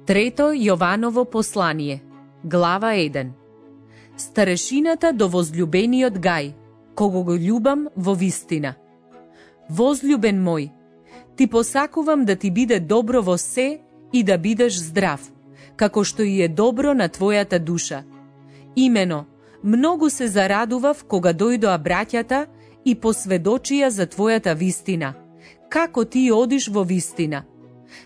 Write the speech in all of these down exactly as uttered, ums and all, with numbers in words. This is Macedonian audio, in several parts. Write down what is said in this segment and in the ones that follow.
Трето Јованово послание, глава еден. Старешината до возљубениот Гај, кого го љубам во вистина. Возљубен мој, ти посакувам да ти биде добро во се и да бидеш здрав, како што и е добро на твојата душа. Имено, многу се зарадував кога дојдоа браќата и посведочија за твојата вистина, како ти одиш во вистина.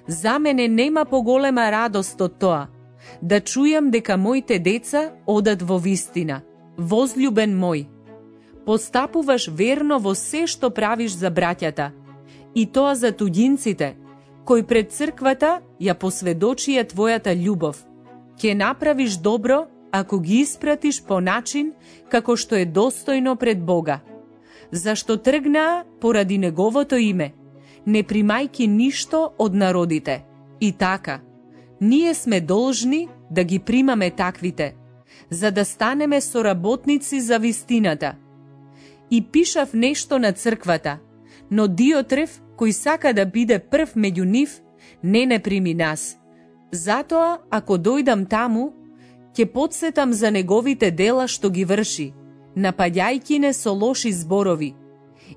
За мене нема поголема радост од тоа, да чујам дека моите деца одат во вистина. Возљубен мој, постапуваш верно во се што правиш за браќата, и тоа за туѓинците, кои пред црквата ја посведочија твојата љубов. Ќе направиш добро ако ги испратиш по начин како што е достојно пред Бога. Зашто тргнаа поради Неговото име, не примајки ништо од народите. И така, ние сме должни да ги примаме таквите, за да станеме соработници за вистината. И пишав нешто на црквата, но Диотреф, кој сака да биде прв меѓу нив, не не прими нас. Затоа, ако дојдам таму, ќе подсетам за неговите дела што ги врши, напаѓајќи не со лоши зборови.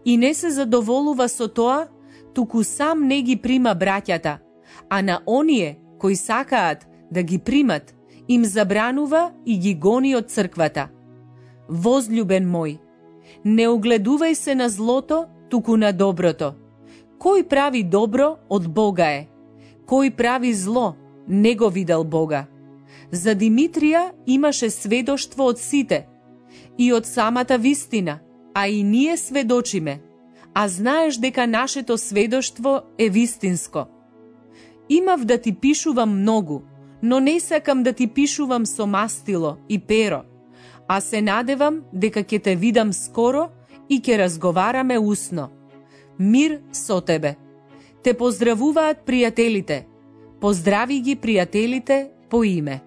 И не се задоволува со тоа, туку сам не ги прима браќата, а на оние кои сакаат да ги примат, им забранува и ги гони од црквата. Возљубен мој, не огледувај се на злото, туку на доброто. Кој прави добро, од Бога е. Кој прави зло, не го видел Бога. За Димитрија имаше сведоштво од сите и од самата вистина, а и ние сведочиме, а знаеш дека нашето сведоштво е вистинско. Имав да ти пишувам многу, но не сакам да ти пишувам со мастило и перо, а се надевам дека ќе те видам скоро и ќе разговараме усно. Мир со тебе. Те поздравуваат пријателите. Поздрави ги пријателите по име.